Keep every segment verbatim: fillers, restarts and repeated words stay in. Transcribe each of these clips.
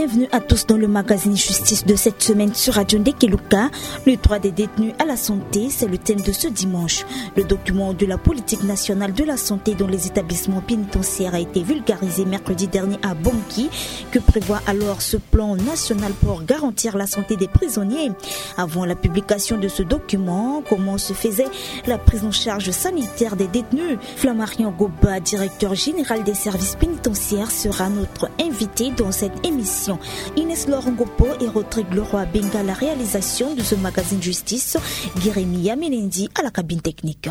Bienvenue à tous dans le magazine Justice de cette semaine sur Radio Ndekeluka. Le droit des détenus à la santé, c'est le thème de ce dimanche. Le document de la politique nationale de la santé dans les établissements pénitentiaires a été vulgarisé mercredi dernier à Bangui. Que prévoit alors ce plan national pour garantir la santé des prisonniers ? Avant la publication de ce document, comment se faisait la prise en charge sanitaire des détenus ? Flammarion Goba, directeur général des services pénitentiaires, sera notre invité dans cette émission. Inès Laurent Gopo et Rodrigue Leroy Benga, la réalisation de ce magazine Justice. Guérémy Yamenendi à la cabine technique.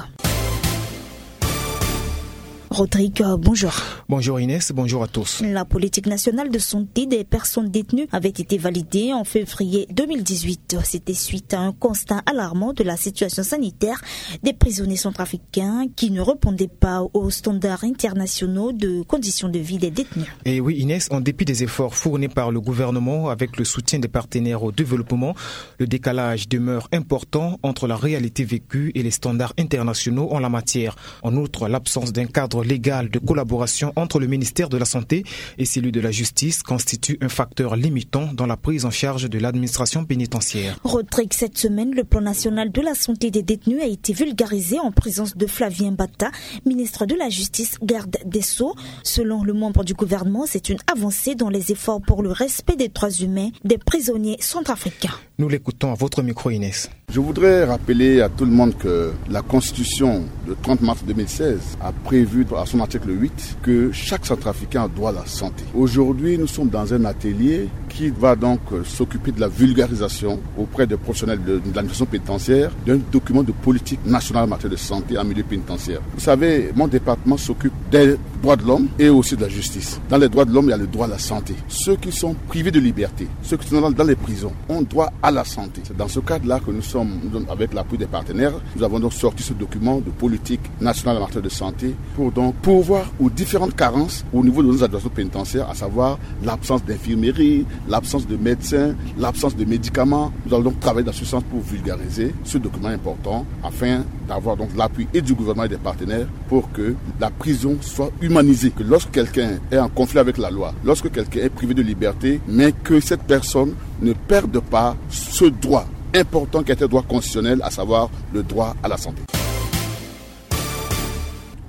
Rodrigue, bonjour. Bonjour Inès, bonjour à tous. La politique nationale de santé des personnes détenues avait été validée en février deux mille dix-huit. C'était suite à un constat alarmant de la situation sanitaire des prisonniers centrafricains qui ne répondaient pas aux standards internationaux de conditions de vie des détenus. Et oui Inès, en dépit des efforts fournis par le gouvernement avec le soutien des partenaires au développement, le décalage demeure important entre la réalité vécue et les standards internationaux en la matière. En outre, l'absence d'un cadre légal de collaboration entre le ministère de la Santé et celui de la Justice constitue un facteur limitant dans la prise en charge de l'administration pénitentiaire. Rodrigue, cette semaine, le plan national de la santé des détenus a été vulgarisé en présence de Flavien Bata, ministre de la Justice, garde des Sceaux. Selon le membre du gouvernement, c'est une avancée dans les efforts pour le respect des droits humains des prisonniers centrafricains. Nous l'écoutons à votre micro, Inès. Je voudrais rappeler à tout le monde que la Constitution de trente mars deux mille seize a prévu à son article huit que chaque centrafricain a droit à la santé. Aujourd'hui, nous sommes dans un atelier qui va donc, euh, s'occuper de la vulgarisation auprès des professionnels de, de l'administration pénitentiaire d'un document de politique nationale en matière de santé en milieu pénitentiaire. Vous savez, mon département s'occupe des droits de l'homme et aussi de la justice. Dans les droits de l'homme, il y a le droit à la santé. Ceux qui sont privés de liberté, ceux qui sont dans, dans les prisons, ont droit à la santé. C'est dans ce cadre-là que nous sommes, nous, avec l'appui des partenaires, nous avons donc sorti ce document de politique nationale en matière de santé pour donc pourvoir aux différentes carences au niveau de nos administrations pénitentiaires, à savoir l'absence d'infirmerie, l'absence de médecins, l'absence de médicaments. Nous allons donc travailler dans ce sens pour vulgariser ce document important afin d'avoir donc l'appui et du gouvernement et des partenaires pour que la prison soit humanisée, que lorsque quelqu'un est en conflit avec la loi, lorsque quelqu'un est privé de liberté, mais que cette personne ne perde pas ce droit important qui est un droit constitutionnel, à savoir le droit à la santé.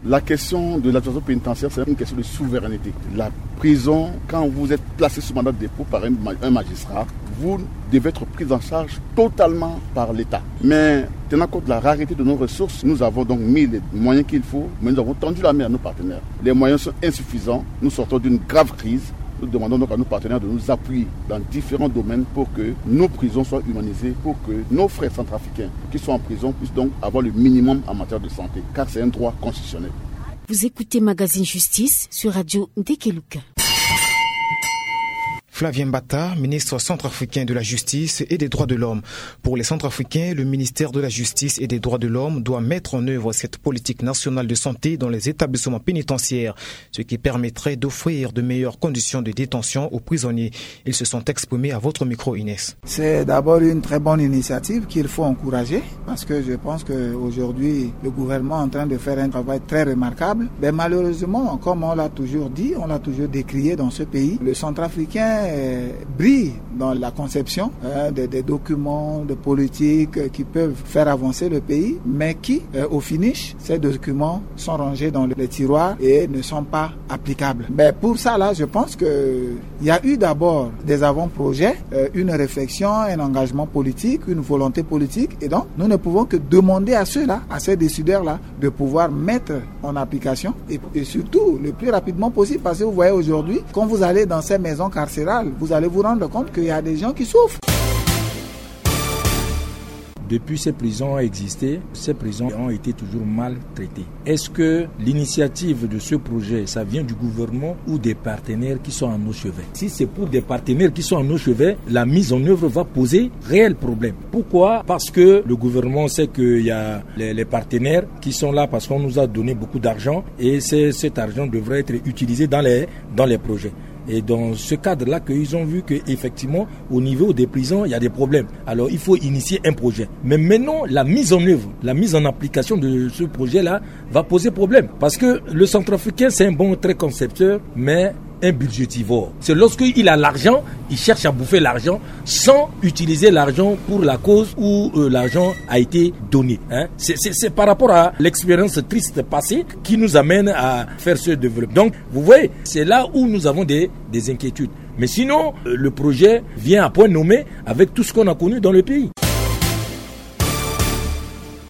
La question de l'administration pénitentiaire, c'est une question de souveraineté. La prison, quand vous êtes placé sous mandat de dépôt par un ma-, un magistrat, vous devez être pris en charge totalement par l'État. Mais tenant compte de la rareté de nos ressources, nous avons donc mis les moyens qu'il faut, mais nous avons tendu la main à nos partenaires. Les moyens sont insuffisants. Nous sortons d'une grave crise. Nous demandons donc à nos partenaires de nous appuyer dans différents domaines pour que nos prisons soient humanisées, pour que nos frères centrafricains qui sont en prison puissent donc avoir le minimum en matière de santé, car c'est un droit constitutionnel. Vous écoutez Magazine Justice sur Radio Ndekeluka. Flavien Bata, ministre centrafricain de la Justice et des Droits de l'Homme. Pour les Centrafricains, le ministère de la Justice et des Droits de l'Homme doit mettre en œuvre cette politique nationale de santé dans les établissements pénitentiaires, ce qui permettrait d'offrir de meilleures conditions de détention aux prisonniers. Ils se sont exprimés à votre micro, Inès. C'est d'abord une très bonne initiative qu'il faut encourager, parce que je pense qu'aujourd'hui, le gouvernement est en train de faire un travail très remarquable. Mais malheureusement, comme on l'a toujours dit, on l'a toujours décrié dans ce pays, le centrafricain, euh, brille dans la conception, hein, des, des documents, de politiques, euh, qui peuvent faire avancer le pays, mais qui, euh, au finish, ces documents sont rangés dans les tiroirs et ne sont pas applicables. Mais pour ça, là, je pense que il y a eu d'abord des avant-projets, euh, une réflexion, un engagement politique, une volonté politique. Et donc, nous ne pouvons que demander à ceux-là, à ces décideurs-là, de pouvoir mettre en application et, et surtout le plus rapidement possible. Parce que vous voyez aujourd'hui, quand vous allez dans ces maisons carcérales, vous allez vous rendre compte qu'il y a des gens qui souffrent. Depuis ces prisons ont existé, ces prisons ont été toujours mal traitées. Est-ce que l'initiative de ce projet, ça vient du gouvernement ou des partenaires qui sont à nos cheveux ? Si c'est pour des partenaires qui sont à nos cheveux, la mise en œuvre va poser réel problème. Pourquoi ? Parce que le gouvernement sait qu'il y a les, les partenaires qui sont là parce qu'on nous a donné beaucoup d'argent et c'est, cet argent devrait être utilisé dans les, dans les projets. Et dans ce cadre-là, qu'ils ont vu qu'effectivement, au niveau des prisons, il y a des problèmes. Alors, il faut initier un projet. Mais maintenant, la mise en œuvre, la mise en application de ce projet-là va poser problème. Parce que le centrafricain, c'est un bon, très concepteur, mais un budgétivore. C'est lorsqu'il a l'argent, il cherche à bouffer l'argent sans utiliser l'argent pour la cause où euh, l'argent a été donné, hein. C'est par rapport à l'expérience triste passée qui nous amène à faire ce développement. Donc, vous voyez, c'est là où nous avons des, des inquiétudes. Mais sinon, euh, le projet vient à point nommé avec tout ce qu'on a connu dans le pays.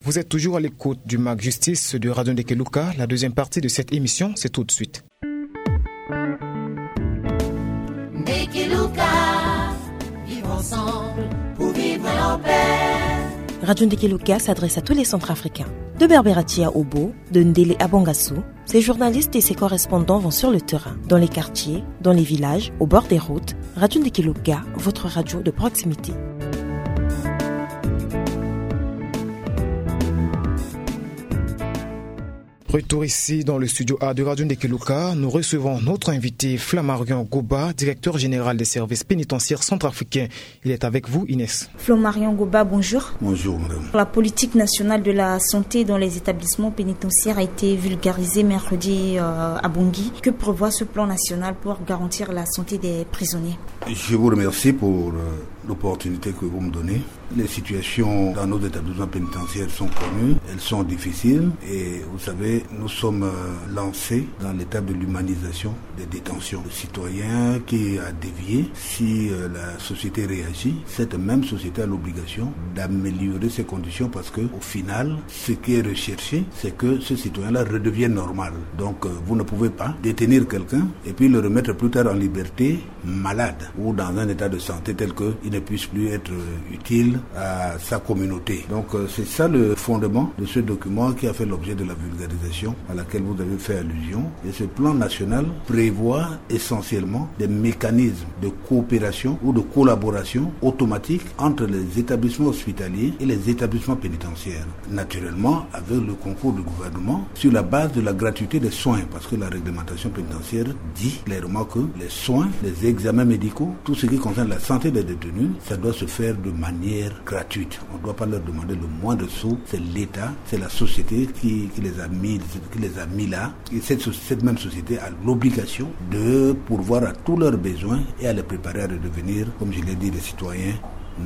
Vous êtes toujours à l'écoute du MAC Justice de Radio Ndekeluka. La deuxième partie de cette émission, c'est tout de suite. Radio Ndekeluka s'adresse à tous les Centrafricains. De Berberatia à Obo, de Ndele à Bangassou, ses journalistes et ses correspondants vont sur le terrain, dans les quartiers, dans les villages, au bord des routes. Radio Ndekeluka, votre radio de proximité. Retour ici dans le studio A de Radio Ndekeluka, nous recevons notre invité Flammarion Goba, directeur général des services pénitentiaires centrafricains. Il est avec vous, Inès. Flammarion Goba, bonjour. Bonjour, madame. La politique nationale de la santé dans les établissements pénitentiaires a été vulgarisée mercredi euh, à Bangui. Que prévoit ce plan national pour garantir la santé des prisonniers ? Je vous remercie pour euh, l'opportunité que vous me donnez. Les situations dans nos établissements pénitentiaires sont connues, elles sont difficiles et vous savez, nous sommes euh, lancés dans l'étape de l'humanisation des détentions. Le citoyen qui a dévié, si euh, la société réagit, cette même société a l'obligation d'améliorer ses conditions parce que, au final, ce qui est recherché, c'est que ce citoyen-là redevienne normal. Donc, euh, vous ne pouvez pas détenir quelqu'un et puis le remettre plus tard en liberté malade ou dans un état de santé tel qu'il ne puisse plus être euh, utile à sa communauté. Donc euh, c'est ça le fondement de ce document qui a fait l'objet de la vulgarisation à laquelle vous avez fait allusion. Et ce plan national prévoit essentiellement des mécanismes de coopération ou de collaboration automatique entre les établissements hospitaliers et les établissements pénitentiaires. Naturellement, avec le concours du gouvernement, sur la base de la gratuité des soins, parce que la réglementation pénitentiaire dit clairement que les soins, les examens médicaux, tout ce qui concerne la santé des détenus, ça doit se faire de manière gratuite. On ne doit pas leur demander le moindre sou. C'est l'État, c'est la société qui, qui les a mis, qui les a mis là. Et cette, cette même société a l'obligation de pourvoir à tous leurs besoins et à les préparer à redevenir, comme je l'ai dit, des citoyens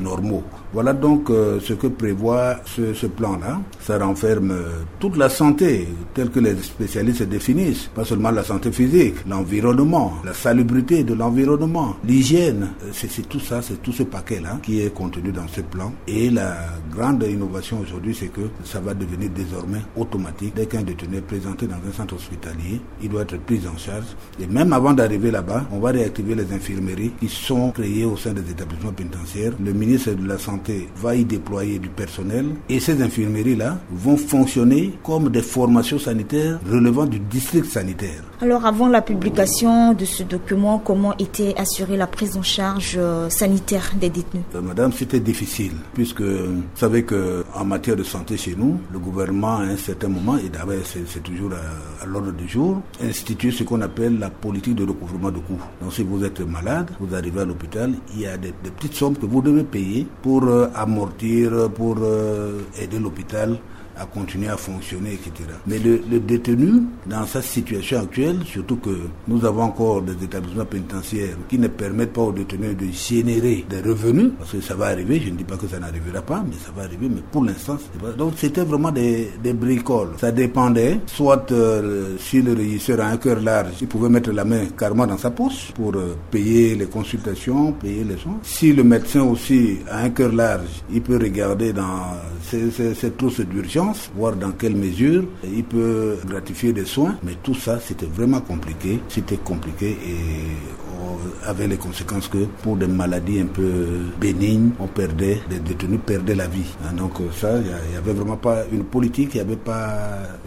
normaux. Voilà donc euh, ce que prévoit ce, ce plan-là. Ça renferme euh, toute la santé telle que les spécialistes définissent, pas seulement la santé physique, l'environnement, la salubrité de l'environnement, l'hygiène. Euh, c'est tout ça, c'est tout ce paquet-là qui est contenu dans ce plan. Et la grande innovation aujourd'hui, c'est que ça va devenir désormais automatique. Dès qu'un détenu est présenté dans un centre hospitalier, il doit être pris en charge. Et même avant d'arriver là-bas, on va réactiver les infirmeries qui sont créées au sein des établissements pénitentiaires. Le ministre de la Santé va y déployer du personnel et ces infirmeries-là vont fonctionner comme des formations sanitaires relevant du district sanitaire. Alors, avant la publication de ce document, comment était assurée la prise en charge euh, sanitaire des détenus ? Euh, madame, c'était difficile, puisque vous savez qu'en matière de santé chez nous, le gouvernement, à un certain moment, et d'ailleurs c'est toujours à, à l'ordre du jour, institue ce qu'on appelle la politique de recouvrement de coûts. Donc si vous êtes malade, vous arrivez à l'hôpital, il y a des, des petites sommes que vous devez payer pour euh, amortir, pour euh, aider l'hôpital à continuer à fonctionner, et cetera. Mais le, le détenu, dans sa situation actuelle, surtout que nous avons encore des établissements pénitentiaires qui ne permettent pas aux détenus de générer des revenus, parce que ça va arriver, je ne dis pas que ça n'arrivera pas, mais ça va arriver, mais pour l'instant, c'est pas. Donc c'était vraiment des, des bricoles. Ça dépendait, soit euh, si le régisseur a un cœur large, il pouvait mettre la main carrément dans sa poche pour euh, payer les consultations, payer les soins. Si le médecin aussi a un cœur large, il peut regarder dans ces, ces, ces trousses d'urgence, voir dans quelle mesure il peut gratifier des soins. Mais tout ça, c'était vraiment compliqué. C'était compliqué et euh, avait les conséquences que pour des maladies un peu bénignes, on perdait, des détenus perdaient la vie. Hein, donc euh, ça, il n'y avait vraiment pas une politique, il n'y avait pas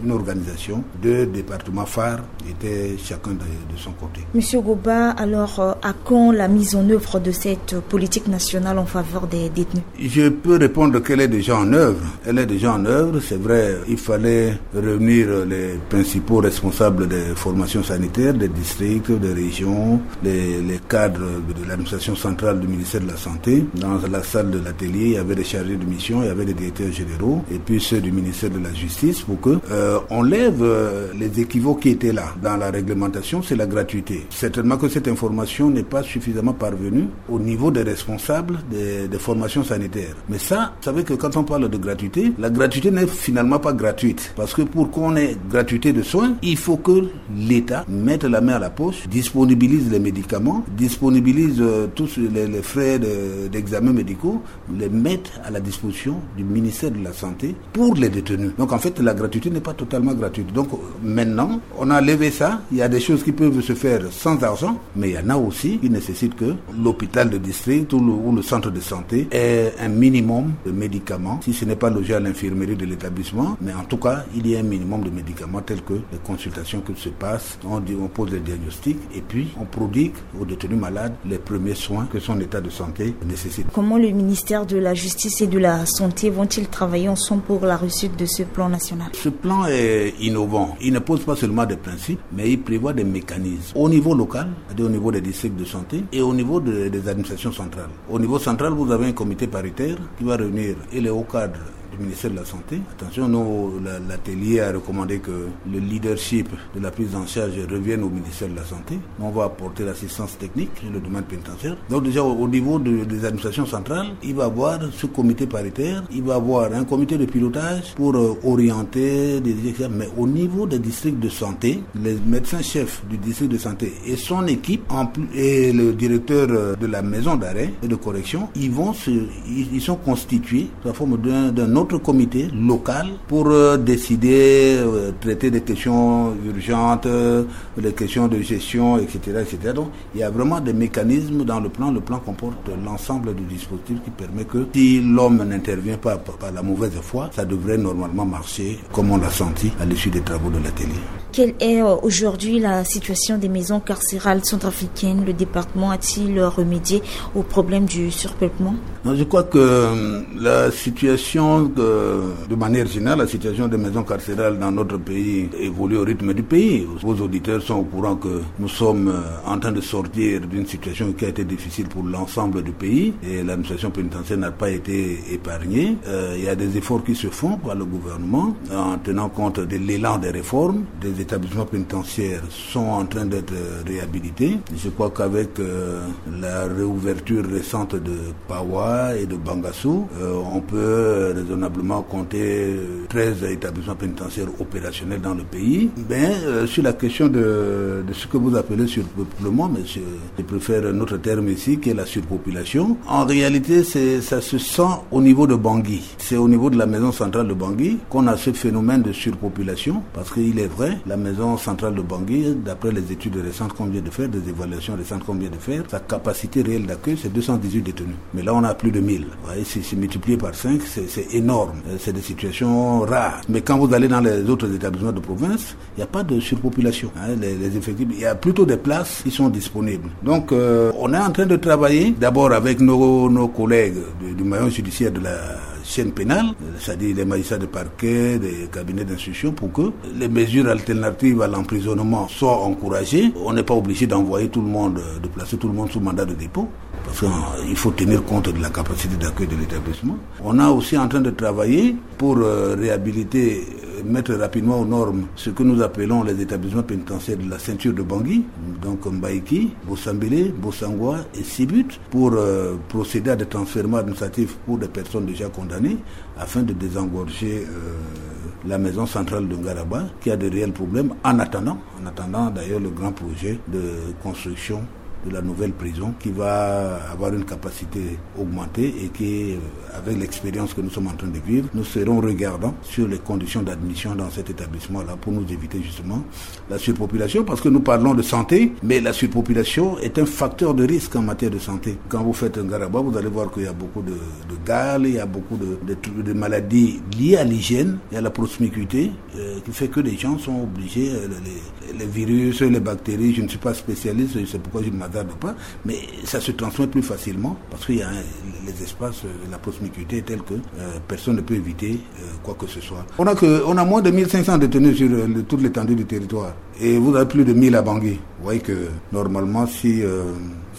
une organisation. Deux départements phares étaient chacun de, de son côté. Monsieur Goba, alors euh, à quand la mise en œuvre de cette politique nationale en faveur des détenus ? Je peux répondre qu'elle est déjà en œuvre. Elle est déjà en œuvre, c'est vrai. Il fallait réunir les principaux responsables des formations sanitaires, des districts, des régions, les les cadres de l'administration centrale du ministère de la Santé, dans la salle de l'atelier, il y avait des chargés de mission, il y avait des directeurs généraux, et puis ceux du ministère de la Justice, pour que, euh, on lève, euh, les équivoques qui étaient là dans la réglementation, c'est la gratuité. Certainement que cette information n'est pas suffisamment parvenue au niveau des responsables des, des formations sanitaires. Mais ça, vous savez que quand on parle de gratuité, la gratuité n'est finalement pas gratuite. Parce que pour qu'on ait gratuité de soins, il faut que l'État mette la main à la poche, disponibilise les médicaments, disponibilise, euh, tous les, les frais de, d'examens médicaux, les mette à la disposition du ministère de la Santé pour les détenus. Donc en fait, la gratuité n'est pas totalement gratuite. Donc, euh, maintenant, on a levé ça. Il y a des choses qui peuvent se faire sans argent, mais il y en a aussi qui nécessitent que l'hôpital de district ou le, ou le centre de santé ait un minimum de médicaments. Si ce n'est pas logé à l'infirmerie de l'établissement, mais en tout cas, il y a un minimum de médicaments tels que les consultations qui se passent, on dit, on pose les diagnostics et puis on prodigue aux détenus malades les premiers soins que son état de santé nécessite. Comment le ministère de la Justice et de la Santé vont-ils travailler ensemble pour la réussite de ce plan national ? Ce plan est innovant. Il ne pose pas seulement des principes, mais il prévoit des mécanismes au niveau local, c'est-à-dire au niveau des districts de santé et au niveau de, des administrations centrales. Au niveau central, vous avez un comité paritaire qui va réunir et les hauts cadres du ministère de la Santé. Attention, nous, la, l'atelier a recommandé que le leadership de la prise en charge revienne au ministère de la Santé. Nous, on va apporter l'assistance technique sur le domaine pénitentiaire. Donc déjà, au, au niveau de, des administrations centrales, il va avoir ce comité paritaire, il va avoir un comité de pilotage pour, euh, orienter, des, et cetera. Mais au niveau des districts de santé, les médecins chefs du district de santé et son équipe, en plus, et le directeur, euh, de la maison d'arrêt et de correction, ils vont se, ils, ils sont constitués sous la forme d'un, d'un autre comité local pour, euh, décider, euh, traiter des questions urgentes, euh, les questions de gestion, et cetera, et cetera. Donc, il y a vraiment des mécanismes dans le plan. Le plan comporte l'ensemble du dispositif qui permet que si l'homme n'intervient pas par, par la mauvaise foi, ça devrait normalement marcher comme on l'a senti à l'issue des travaux de l'atelier. Quelle est, euh, aujourd'hui la situation des maisons carcérales centrafricaines ? Le département a-t-il remédié au problème du surpeuplement ? Non, je crois que, euh, la situation, euh, de manière générale, la situation des maisons carcérales dans notre pays évolue au rythme du pays. Vos auditeurs sont au courant que nous sommes, euh, en train de sortir d'une situation qui a été difficile pour l'ensemble du pays et l'administration pénitentiaire n'a pas été épargnée. Euh, il y a des efforts qui se font par le gouvernement en tenant compte de l'élan des réformes. Des établissements pénitentiaires sont en train d'être réhabilités. Je crois qu'avec, euh, la réouverture récente de Paoua et de Bangassou, euh, on peut raisonnablement compter treize établissements pénitentiaires opérationnels dans le pays. Mais, euh, sur la question de, de ce que vous appelez surpeuplement, mais je, je préfère un autre terme ici, qui est la surpopulation. En réalité, c'est, ça se sent au niveau de Bangui. C'est au niveau de la maison centrale de Bangui qu'on a ce phénomène de surpopulation, parce qu'il est vrai, la maison centrale de Bangui, d'après les études récentes qu'on vient de faire, des évaluations récentes qu'on vient de faire, sa capacité réelle d'accueil, c'est deux cent dix-huit détenus. Mais là, on a plus de mille. Vous voyez, c'est, c'est multiplié par cinq, c'est, c'est énorme. Euh, c'est des situations rares. Mais quand vous allez dans les autres établissements de province, il n'y a pas de surpopulation, hein, les, les effectifs. Il y a plutôt des places qui sont disponibles. Donc, euh, on est en train de travailler d'abord avec nos, nos collègues du, du maillon judiciaire de la chaîne pénale, euh, c'est-à-dire les magistrats de parquet, des cabinets d'instruction, pour que les mesures alternatives à l'emprisonnement soient encouragées. On n'est pas obligé d'envoyer tout le monde, euh, de placer tout le monde sous mandat de dépôt, parce qu'il faut tenir compte de la capacité d'accueil de l'établissement. On est aussi en train de travailler pour, euh, réhabiliter, euh, mettre rapidement aux normes ce que nous appelons les établissements pénitentiaires de la ceinture de Bangui, donc Mbaïki, Bossambélé, Bossangoa et Sibut, pour, euh, procéder à des transfèrements administratifs pour des personnes déjà condamnées, afin de désengorger, euh, la maison centrale de Ngaraba, qui a de réels problèmes, en attendant, en attendant d'ailleurs le grand projet de construction de la nouvelle prison, qui va avoir une capacité augmentée et qui, euh, avec l'expérience que nous sommes en train de vivre, nous serons regardants sur les conditions d'admission dans cet établissement-là pour nous éviter justement la surpopulation, parce que nous parlons de santé, mais la surpopulation est un facteur de risque en matière de santé. Quand vous faites un Ngaraba, vous allez voir qu'il y a beaucoup de, de gale, il y a beaucoup de, de tru-, de maladies liées à l'hygiène et à la promiscuité, euh, qui fait que les gens sont obligés, euh, les, les virus, les bactéries, je ne suis pas spécialiste, c'est pourquoi je ne m'adresse Regarde pas, mais ça se transmet plus facilement parce qu'il y a un, les espaces, euh, la promiscuité est telle que, euh, personne ne peut éviter, euh, quoi que ce soit. On a que, on a moins de mille cinq cents détenus sur, euh, le, toute l'étendue du territoire et vous avez plus de mille à Bangui. Vous voyez que normalement, si, euh,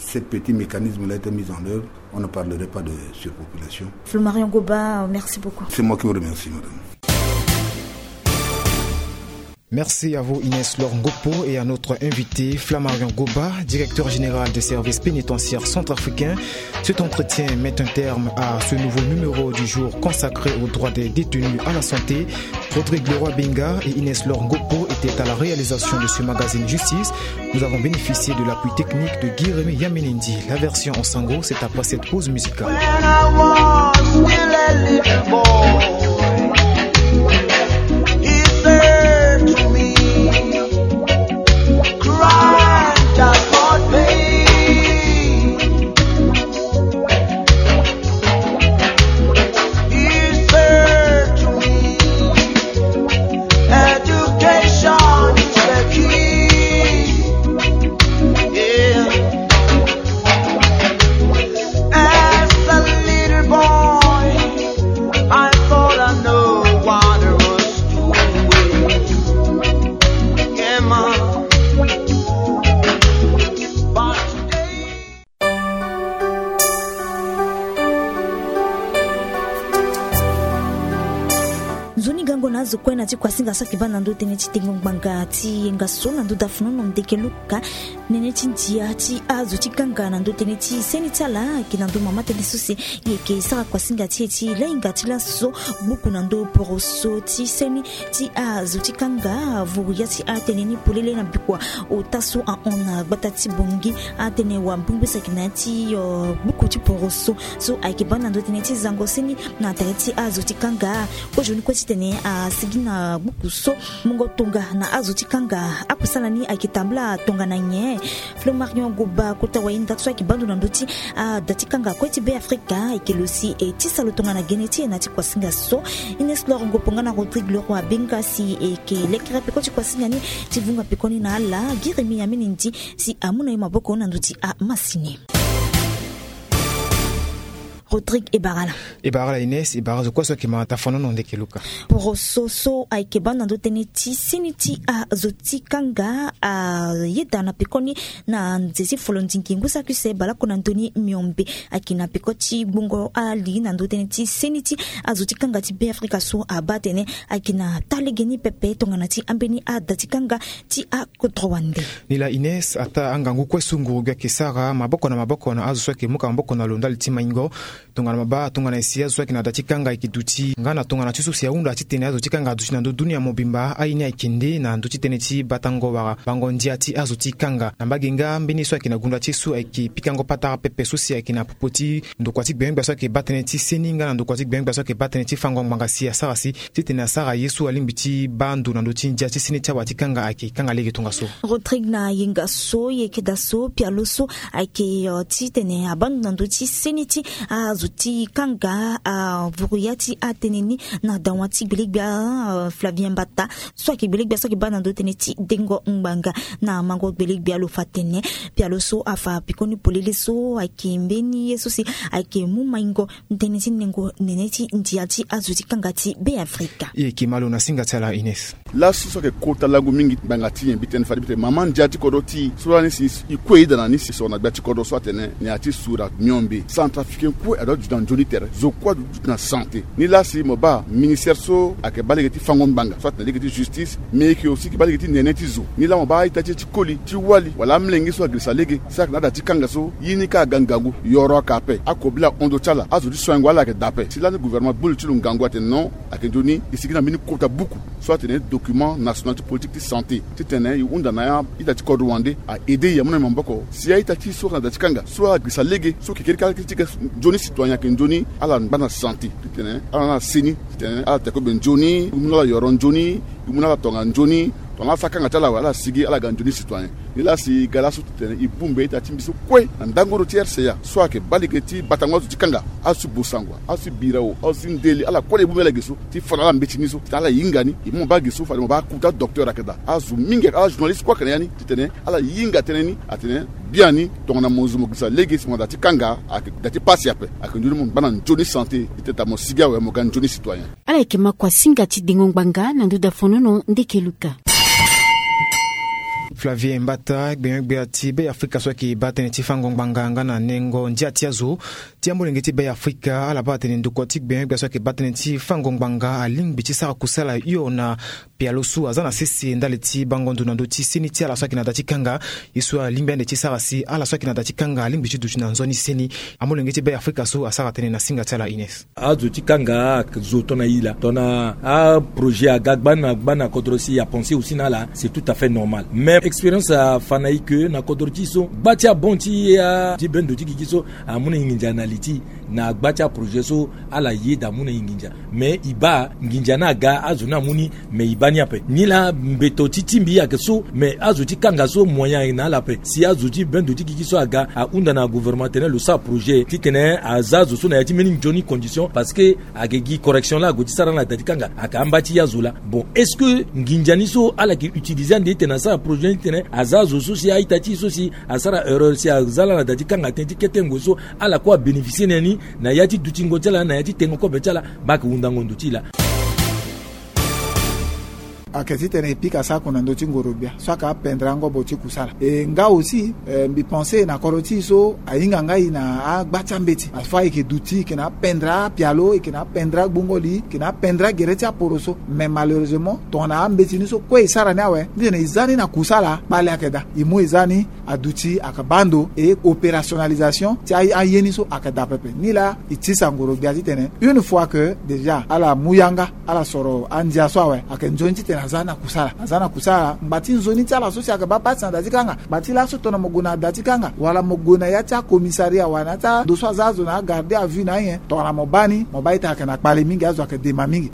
ce petit mécanisme-là était mis en œuvre, on ne parlerait pas de surpopulation. Flo Marion Goba, merci beaucoup. C'est moi qui vous remercie, madame. Merci à vous Inès Laure Ngopo et à notre invité Flamarion Goba, directeur général des services pénitentiaires centrafricains. Cet entretien met un terme à ce nouveau numéro du jour consacré aux droits des détenus à la santé. Rodrigue Leroy Binga et Inès Laure Ngopo étaient à la réalisation de ce magazine Justice. Nous avons bénéficié de l'appui technique de Guy Rémy Yamenendi. La version en sango, c'est après cette pause musicale. Nzoni gango na azo kue na ti kuasinga so ayeke baa na ndö tënë ti tengo ngbanga ti yenga so na ndö dafunu na ndeke luka. Nene ti ndia ti azo ti kanga na ndö tënë ti seni ti ala ayeke na ndö mama tënë so si e yeke sara kuasinga ti e ti lahinga ti laso gbuku na ndö poroso ti seni ti azo ti kanga vuru ya ti atënë ni polele na bikua ota so ahon na gbata ti Bangui. Atënë wambongbi so ayeke na ya ti, euh, gbuku ti poroso so ayeke baa na ndö tënë ti zango seni na tere ti azo ti kanga. Kozoni kue titene asigi na gbuku so mungo tonga na azo ti kanga. Akusala ni ayeke tambula tongana nyen? Flo Marion Goba kota wayenda so ayeke baa ndo na ndö ti ada ti kanga kue ti Beafrika ayeke lo si e tisa lo tongana gene ti e na ti kuasinga so. Inès Laure Ngopo nga na Rodrigue Leroy Binga si e yeke lekere peko ti kuasinga ni ti vunga pekoni na ala. Guy Rémy Yamenendi si amu na e maboko na ndö ti amasini. Rodrigue, e bara ala. E bara ala Inès, e bara zo kue so ayeke ma tafanono ndeke luka. Poroso so ayeke baa na ndö tënë ti seni ti azo ti kanga ayeda na pekoni na nze ti folondingi ngu saki use baleoko na ndö ni miombe. Ayeke na peko ti gbungo ali na ndö tënë ti seni ti azo ti kanga ti Beafrika so abaa atene ayeke na taa lege ni pepe tongana ti ambeni ada ti kanga ti akodro wande. Ni laa Inès, ataa angangu kue so nguru gbia ayeke sara maboko na maboko na azo so ayeke muka maboko na lo ndali ti maingo. Tongana mabaa tongana e si azo so ayeke na da ti kanga ayeke duti nga na tongana ti so si ahunda titene azo ti kanga aduti na ndö dunia mobimba, aye ni ayeke nde na ndö ti tënë ti batango wala bango ndia ti azo ti kanga. Na mbage nga mbeni so ayeke na gunda ti e so ayeke pikango patara pepe so si ayeke na popo ti ndokua ti gbengbia so ayeke baa tënë ti seni nga na ndokua ti gbengbia so ayeke baa tënë ti fango ngbanga si asara si titene asara ye so alingbi ti baa ndo na ndö ti ndia ti seni ti awa ti kanga ayeke kanga lege tongaso. Rodrigue, na yenga so e yeke daa so pialo so ayeke, euh, titene abaa ndo na ndö ti seni ti azo ti kanga, euh, vuru ya ti atënë ni na dawa ti gbelegbia, euh, Flavien Mbata so ayeke gbelegbia so ayeke baa na ndö tënë ti dengo ngbanga. Na mango gbelegbia lo fa tene pialo so afa pekoni polele so ayeke mbeni ye so si ayeke mu maingo tënë ti nengo nene ti ndia ti azo ti kanga ti Beafrika. E yeke ma lo na singa ti ala Inès. Laso so ayeke kota lango mingi ngbanga ti nyen? Mbi tene fade mbi tene mama ndia ti kodro ti e so lani si e kue e da na ni si soro na gbia ti kodro so atene na ya ti sura miombe centrafricain kue adoit duti na nzoni tere, zo kue adoit duti na santé. Ni laa si mo baa ministère so ayeke baa lege ti fango ngbanga so atene lege ti justice, mais e yeke aussi yeke baa lege ti nene ti zo. Ni laa mo baa a-ita ti e ti koli ti wali wala amolenge so agirisa lege so ayeke na ada ti kanga so ye ni kâ aga ngangu, yoro ayeke ape, akobela ahon ndo ti ala, azo ti soingo ala ayeke daa ape. Si lani gouvernement gbu li ti lo ngangu atene non, ayeke nzoni e sigi na mbeni kota buku so atene document national ti politique ti santé titene e hunda na ya ita ti kodro wande a-aider e amu na e maboko si a-ita ti e so ayeke na da ti kanga so agirisa lege so yeke kiri kâ ti ga nzoni citoyen ayeke nzoni ala ngba na santé titene ala na ala seni titene ala te kobe nzoni, e mu na ala yoro nzoni, e mu na ala tonga nzoni. Tongana ala sara kanga ti ala awe, ala sigi, ala ga nzoni citoyen. Nilaa si ga laso titene e bongbi ita ti mbi so kue na ndangoro ti R C A so ayeke baa lege ti batango azo ti kanga, azo ti Bossangoa, azo ti Birao, azo ti Ndele, ala kue ala e bongbi ala ge so ti fa na ala mbeti ni so titene ala hinga ni. E mu mo baa ge so fade mo baa kota docteur ayeke daa. Azo mingi, ala journaliste kue ayeke na ya ni titene ala hinga tënë ni, atene biani tongana mo zo mo girisa lege si mo na da ti kanga ayeke da ti pasi ape. Ayeke nzoni mo ngba na nzoni santé titene ta mo sigi awe mo ga nzoni citoyen. Ala yeke ma kua singa ti dengo ngbanga na ndö dafonono ndeke Luka. Flavie Mbata, gbenyo-gbia ti Be Afrika so ayeke baa tënë ti fango ngbanga nga na nengo ndia ti azo ti amolenge ti Be Afrika, ala baa atene ndokua ti gbenyo-gbia so ayeke baa tënë ti fango ngbanga alingbi ti sara kusala hio na pialo so aza na sese ndali ti bango ndo na ndö ti seni ti ala so ayeke na da ti kanga. Ye so alingbi ande ti sara si ala so ayeke na da ti kanga alingbi ti duti na nzoni seni. Amolenge ti Be Afrika so asara tënë na singa ti ala Ines. Azo ti kanga azo tongana e la tongana aprojet aga gbani na gbani na kodro si apense aussi na ala, c'est tout à fait normal. Mais expérience afa na e ke na kodro ti e so gba ti abon ti e, ti bendo ti gigi so amu na e nginza na li ti e na gba ti aprojet so ala yeda amu na e nginza. Mais e baa nginza ni aga azo ni amu ni, mais e baa ni ape. Nilaa mbeto ti ti mbi ayeke so, mais azo ti kanga so moyen ayeke na ala ape. Si azo ti bendo ti gigi so aga ahunda na gouvernement atene lo sara projet titene aza azo so na ya ti mbeni nzoni condition, parce que ayeke gi correction laa ague ti sara na da ti kanga ayeke amba ti ye azo laa. Bon, est-ce que nginza ni so ala yeke utiliser ande titene asara projet ni titene aza azo so si a-ita ti e so si asara erreur si aza laa na da ti kanga tënë ti kete ngoi so ala kue abénéficier na ya ni na ya ti dutingo ti ala na ya ti tengo kobe ti ala? Mbi ayeke hundango ndo ti e laa. Ayeke titene e pika sako na ndö ti ngoro-gbia so ayeke apendre angobo ti kusala. E nga aussi, eh, mbi pense na kodro ti e so ahinga nga e na agba ti ambeti. Afa e yeke duti, e yeke na apendre apialo, e yeke na apendre agbongo li, e yeke na apendre agere ti aporoso. Mais malheureusement tongana ambeti ni so kue e sara ni awe, ni tene e za ni na kusala, kpale ayeke daa. E mu e za ni aduti ayeke baa ndo, e opérationnalisation ti a, aye ni so ayeke daa pepe. Nilaa e tisa ngoro-gbia titene une fois que déjà ala mu yanga, ala soro andia so awe, ayeke nzoni titene aza na kusala. Aza na kusala, ngba ti nzoni ti ala so si ayeke baa pasi na da ti kanga. Ngba ti laso tongana mo gue na da ti kanga wala mo gue na ya ti acommissariat wala na ya ti ando so aza azo na agarde à vue na anyen, tongana mo baa ni, mo baa ita ayeke na kpale mingi, azo ayeke dema mingi.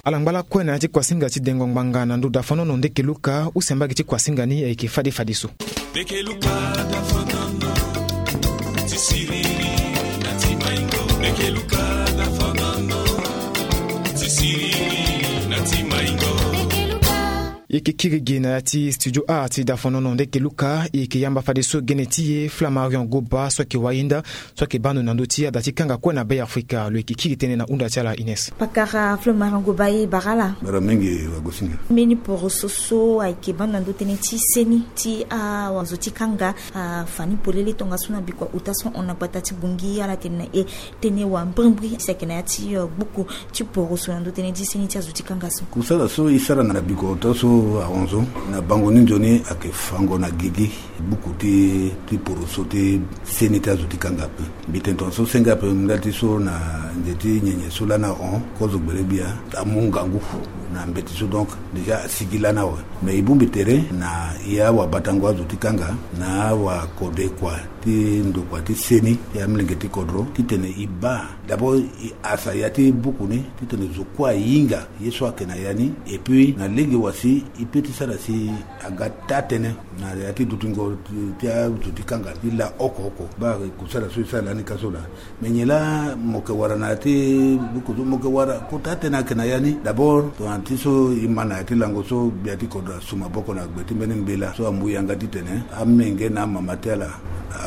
Ala ngba lakue na ya ti kuasinga ti dengo ngbanga na ndö dafonono ndeke Luka, use mbage ti kuasinga ni ayeke fade fadeso. Ndeke Luka dafonono ti siriri na ti maingo. Ndeke Luka dafonono ti siriri na ti maingo. E yeke kiri gi na ya ti studio art ti dafonono ndeke Luka, e yeke yamba fadeso gene ti e Flamarion Goba so ayeke wayenda, so ayeke baa ndo na ndö ti ada ti kanga kue na Be Afrika. Lo yeke kiri tënë na hunda ti ala Ines. Pakara Flamarion Goba, e bara ala. Bara mingi wagosinga. Mbeni poroso so ayeke baa ndo na ndö tënë ti seni ti awazo ti kanga afa ni polele tongaso na bikua ota so hon na gbata ti Bangui, ala tene na e tënë wambrimbri si ayeke na ya ti, eh, buku ti poroso na ndö tënë ti seni ti azo ti kanga so. Kusala so e sara na bikua ota so ahon so na bango ni nzoni ayeke fango na gigi. Buku ti, ti poroso ti seni ti azo ti kanga ape. Mbi tene tongaso senge ape ndali ti so na nze ti nyenye so lani ahon kozo gbele gbia amu ngangu na mbeti so, donc déjà asigi lani awe. Mais e bongbi tere na e awabatango azo ti kanga na awakode kua ti ndokua ti seni ti amolenge ti kodro titene e baa d'abord e asa ya ti buku ni titene zo kue ahinga ye so ayeke na ya ni. Et puis na lege wa si e pe ti sara si aga taa-tënë na ya ti dutingo ti, ti azo ti kanga ti laa oko oko. Baa kusala so e sara lani ka so laa. Me nyen laa mo yeke wara na ya ti buku so? Mo yeke wara kota tënë ayeke na ya ni. D'abord tongana ti so e ma na ya ti lango so gbia ti kodro asu maboko na gbe ti mbeni mbela so amu yanga titene amenge na amama ti ala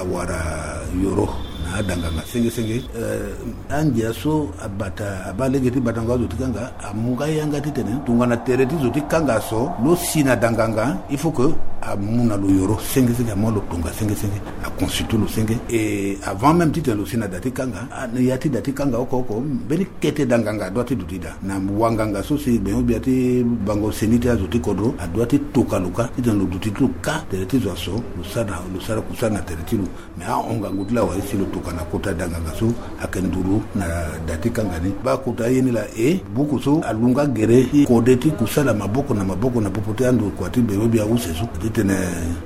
awara yoro na ada nganga senge senge. Eh, angia so abata, abaa lege ti batango azo ti kanga amu nga yanga titene tongana tere ti zo ti kanga aso lo si na da nganga, il faut que amu na lo yoro senge senge, amu na lo tonga senge senge, aconsulte lo senge. Et avant même titene lo si na da ti kanga, a, na ya ti da ti kanga oko oko mbeni kete da nganga adoit ti duti daa. Na wanganga so si gbenyo-gbia ti bango seni ti azo ti kodro adoit ti toka lo ka titene lo duti ti lo ka tere ti zo aso, lo sara na, lo sara kusala na tere ti lo. Mais ahon ngangu ti lo awe si lo toka na kota da nganga so ayeke nduru na da ti kanga ni. Baa kota ye ni laa, e buku so alunga gere ti kode ti kusala maboko na maboko na popo ti andokua ti gbenyo-gbia use so ti Tene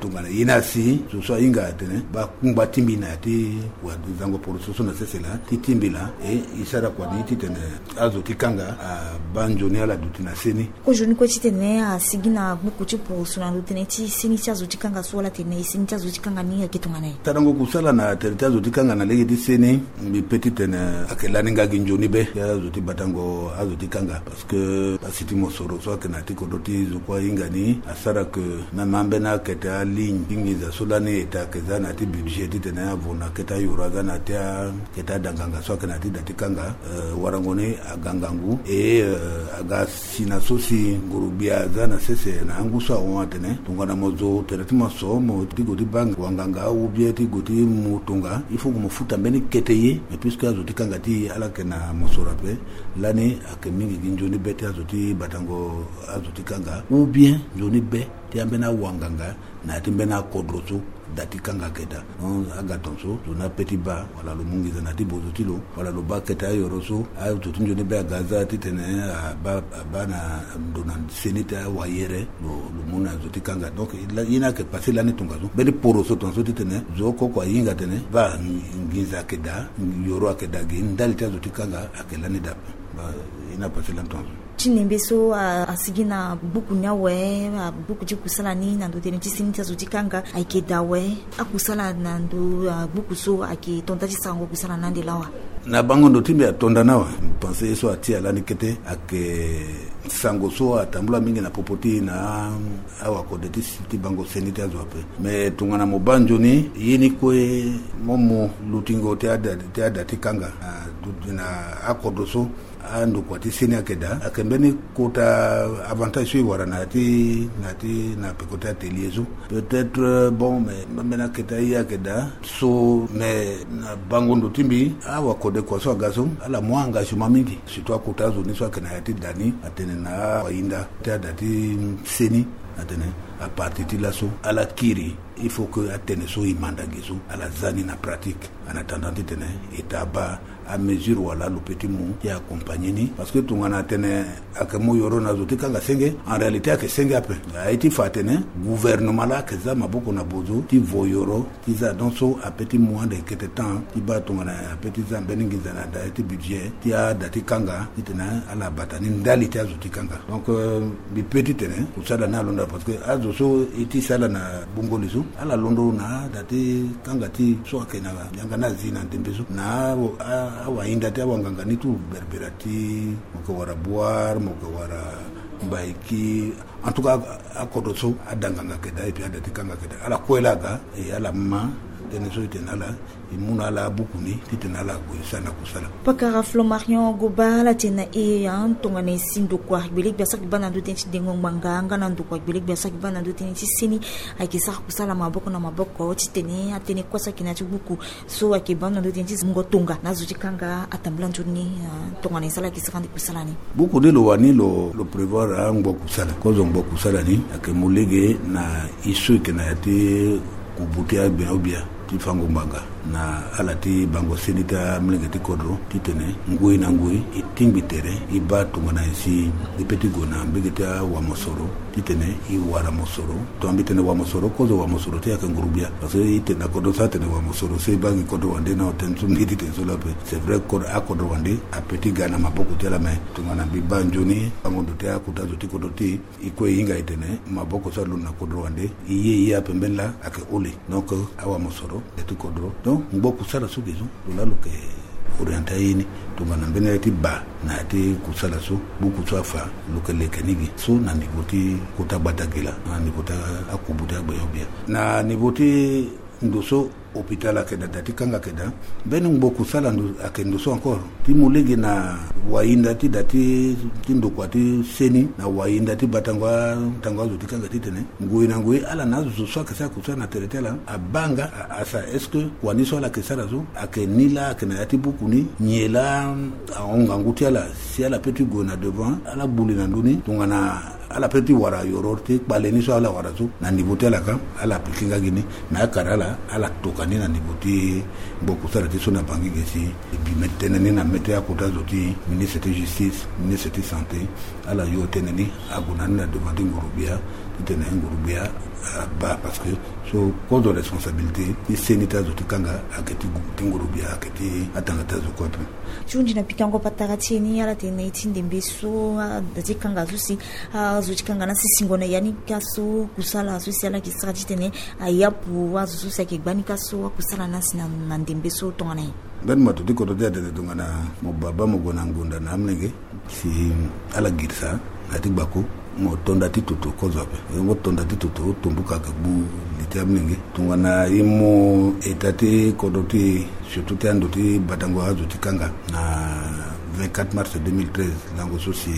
tongana ye ni asi so so ahinga atene baa kungba ti mbi na ya ti wazango poroso so na sese laa ti ti mbi laa, e e sara kua ni titene azo ti kanga abaa nzoni ala duti na seni. Kozoni kue titene asigi na gbuku ti poroso na ndo tënë ti seni ti azo ti kanga so wala tene seni ti azo ti kanga ni ayeke tongana nyen? Sarango kusala na tere ti azo ti kanga na lege ti seni, mbi pe titene ayeke lani nga gi nzoni be ti azo ti batango azo ti kanga. Parce que asi ti mosoro so ayeke na ya ti kodro ti zo kue ahinga ni asara ke même ambeni akete aligne ti nginza so lani eta ayeke za na ya ti budget titene avo na akete ayoro aza na ya ti akete adanganga so ayeke na ya ti da ti kanga, eh, warango ni aga ngangu e, eh, aga si na so si nguru-gbia aza na sese na angu so ahon atene tongana mo zo tere ti mo so mo ti gue ti baa wanganga ou bien ti gue ti mu tonga, il faut que mo futa mbeni kete ye. Mais puisque azo ti kanga ti e ala yeke na mosoro ape, lani ayeke mingi gi nzoni be ti azo ti batango azo ti kanga ou bien nzoni be ti ambeni awanganga na ya ti mbeni akodro so da ti kanga ayeke daa. Donc aga tongaso zo ni ape ti baa wala lo mu nginza na ya ti bozo ti lo wala lo baa kete ayoro so azo ti nzoni be aga aza titene abaa abaa na ndo na seni ti awayere lo, lo mu na zo ti kanga. Donc la- ye ni ayeke passé lani tongaso mbeni poroso tongaso titene zo oko oko ahinga atene baa nginza ayeke daa, yoro ayeke daa gi ndali ti azo ti kanga ayeke lani daa. Baa ye ni apassé lani tongaso. Ti nembe so a- asigi na gbuku ni awe, a- gbuku ti kusala ni na ndo tënë ti seni ti azo ti kanga ayeke daa awe. Akusala na ndo a- gbuku so ayeke tonda ti sarango kusala na ande lawa. Na bango ndo ti mbi atonda ni awe. Mbi pense ye so atia lani kete ayeke sango so atambula mingi na popo ti e na awakode ti si ti bango seni ti azo ape. Mais tongana mo baa nzoni ye ni kue mo mu lutingo ti ada ti ada ti kanga na du- na akodro so andokua ti seni ayeke daa ayeke mbeni kota avantage so e wara na ya ti na ya ti na peko ti atelier so. Peut-être bon mais mbeni akete aye ayeke daa so mais na bango ndo ti mbi awakode kua so aga so ala mu engagement mingi surtout akota azo ni so ayeke na ya ti da ni atene na awahinda ti ada ti seni atene apartir ti laso ala kiri il faut que atene so e manda ge so ala za ni na pratique. En attendant titene eta abaa amesure wala lo pe ti mu ti accompagner ni parce que tongana atene ayeke mu yoro na zo ti kanga senge en réalité ayeke senge ape. Aye ti fa atene gouvernement laa ayeke za maboko na bozo ti vo yoro ti za donc so ape ti mu ande kete temps ti baa tongana ape ti za mbeni nginza na da ti budget ti ada ti kanga titene ala bata ni ndali ti azo ti kanga. Donc mbi pe titene kusala ni alondo parce que azo so e ti sala na bongoli so ala londo na ada ti kanga ti so ayeke na yanga ni azi na ndembe so na awahinda ti awanganga ni tout berbera ti mo yeke wara boire mo yeke wara mbaiki. En tout cas akodro so adanganga ayeke daa et puis ada ti kanga ayeke daa ala kue laa aga e ala ma tënë so e tene ala e mu na ala abuku ni titene ala gue e sara na kusala. Pakara Flo Marion Goba ala tene na e tongana e si ndokua gbelegbe so ayeke baa na ndö tënë ti dengo ngbanga nga na ndokua gbelegbe so ayeke baa na ndö tënë ti seni ayeke sara kusala maboko na maboko titene atënë kue so ayeke na ya ti buku so ayeke baa na ndö tënë ti mungo tonga na azo ti kanga atambula nzoni ni. Tongana e sara ayeke sara ande kusala ni. Buku ni lo wani lo lo prévoir angbo kusala kozo ngbo kusala ni ayeke mu lege na e so e yeke na ya ti kubu ti agbenyo-gbia ti fango ngbanga na ala ti bango seni ti amolenge ti kodro titene ngoi na ngoi e tingbi tere e baa tongana e si e pe ti gue na mbege ti awamosoro titene e wara mosoro. Tongana mbi tene wamosoro kozo wamosoro ti e ayeke nguru-gbia parce que e tene na kodro so atene wamosoro so e baa gi kodro wande na otene so mbi ti tene so laa ape. C'est vrai akodro wande ape ti ga na maboko ti ala mais tongana mbi baa nzoni bango ndo ti akota zo ti kodro ti e e kue e hinga e tene maboko so alondo na kodro wande e ye e ye ape mbeni laa ayeke hole. Donc awamosoro ya ti kodro donc ngbo kusala so ge so lo laa lo yeke orienté aye ni tongana mbeni ya ti baa na ya ti kusala so buku so afa lo yeke leke ni gi so na niveau ti kota gbata gi laa na niveau ti akubu ti agbenyo-gbia na niveau ti ndo so hôpital ayeke daa da ti kanga ayeke daa. Mbeni ngbo kusala ndo ayeke ndo so encore ti mu lege na wahinda ti da ti ndokua ti seni na wahinda ti batango atango azo ti kanga titene ngoi na ngoi ala na azo so ayeke sara kusala na tere ti ala abaa nga a- asa est-ce que kua ni so ala yeke sara so ayeke ni laa ayeke na ya ti buku ni nyen laa ahon ngangu ti ala si ala pe ti gue na devant ala gbu li na ndö ni tongana ala pe ti wara yoro ti kpale ni so ala wara so na niveau ti ala ka ala appliqué nga gi ni. Mais akara ala ala toka Ani na niveau ti gbo kusala ti so na Bangui ge si e bi me tënë ni na mê ti akota zo ti ministre ti justice, ministre ti santé, ala yo tënë ni ague na ni na devant ti nguru-gbia titene nguru-gbia abaa, parce que so kozo responsabilité ti seni ti azo ti kanga ayeke ti gu- ti nguru-gbia, ayeke ti atanga ti azo kue ape. Ti hunzi na pikango patara ti e ni ala tene na ye ti ndembe so ada ti kanga so si azo ti kanga na sisingo na ya ni ka so kusala so si ala yeke sara titene ayapu azo so si ayeke gba ni ka so akusala na si na na ndembe so tongana nyen? Mbeni mato ti kodro ti atene tongana mo baba mo gue na ngonda na amolenge si ala girisa na ya ti gbako, mo tonda ti toto kozo ape. Mo tonda ti toto tombuka ayeke gbu li ti amolenge tongana e mu eta ti kodro ti e, surtout ti ando ti batango azo ti kanga na vingt-quatre mars deux mille treize, lango so si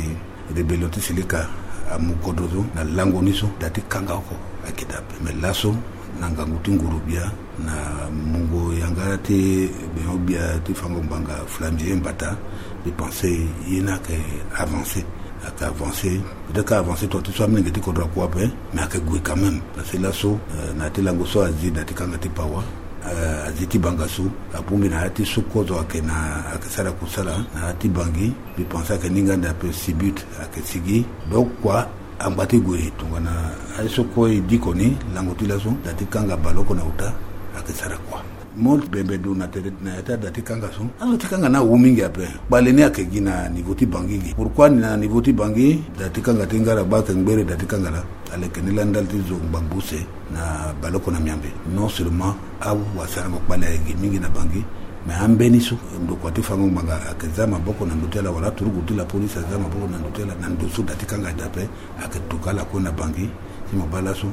rébellion ti Seleka amu kodro so na lango ni so da ti kanga oko ayeke daa ape. Me laso na ngangu ti nguru-gbia na mungo yanga ti gbenyo-gbia ti fango ngbanga Flamvie Mbata, mbi pense ye ni ayeke avancé, ayeke avancé. Peut-être ka avancé tonga ti so amolenge ti kodro akua ape, mais ayeke gue quand même. Parce que laso, euh, na ya ti lango so azi da ti kanga ti Pawa, euh, azi ti Bangassou, abongbi na ya ti so kozo ayeke na ayeke sara kusala na ya ti Bangui. Mbi pense ayeke ni nga nda ape, Sibut ayeke sigi. Donc kua angba ti gue tongana aye so kue e diko ni lango ti laso da ti kanga baleoko na uta ayeke sara kua. Mo bembe du na tere na ya ti ada ti kanga so, azo ti kanga ni awu mingi ape. Kpale ni ayeke gi na niveau ti Bangui ge. Pourquoi ni na niveau ti Bangui? Da ti kanga ti Ngaragba ayeke ngbere da ti kanga laa. Aleke ni laa ndali ti zo ngbangbo use na baleoko na Miambe. Non seulement awasarango kpale ayeke gi mingi na Bangui, mais ambeni so ndokua ti fango ngbanga ayeke za maboko na ndo ti ala, wala aturugu ti la police aza maboko na ndo ti ala, na ndo so da ti kanga ayeke daa ape. Ayeke tokua ala kue na Bangui. Si mo baa laso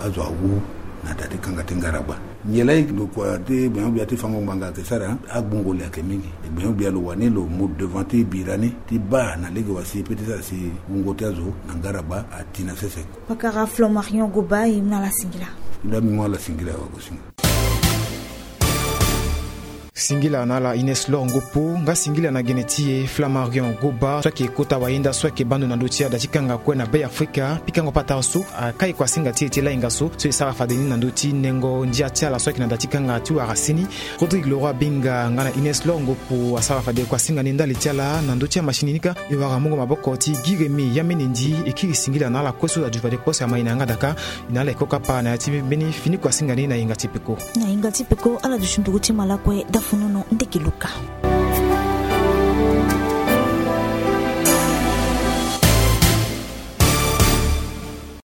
azo awu na da ti kanga ti Ngaragba. Nyen laa ndokua ti gbenyo-gbia ti fango ngbanga ayeke sara? Agbungo li ayeke mingi. Gbenyo-gbia lo wani lo mu devant ti bira ni ti baa na lege wa si e peut ti sara si wungo ti azo na Ngaragba ati na sese. Pakara Flamarion Goba, e mu na ala singila. Nda mbi mu ala singila, wagosinga. Singila na ala Ines Lor Ngopo, nga singila na gene ti e Flamarion Goba so ayeke kota wayenda so ayeke baa ndo na ndö ti ada ti kanga kue na Be Afrika. Pikango patara so akai kuasinga ti e ti lainga so, so e sara fade ni na ndö ti nengo ndia ti ala so ayeke na da ti kanga ti wara seni. Rodrigue Leroy Binga nga na Ines Lor Ngopo asara fade kuasinga ni ndali ti ala na ndö ti amachine ni kâ. E wara mungo maboko ti Guy Rémy Yamenendi. E kiri singila na ala kue so aduti fade kue so amai na yanga daka. E na ala e kokapa na ya ti mbeni fini kuasinga ni na yinga ti peko. Na yinga ti peko ala duti nduru ti malakue dafunu no ndeke luka.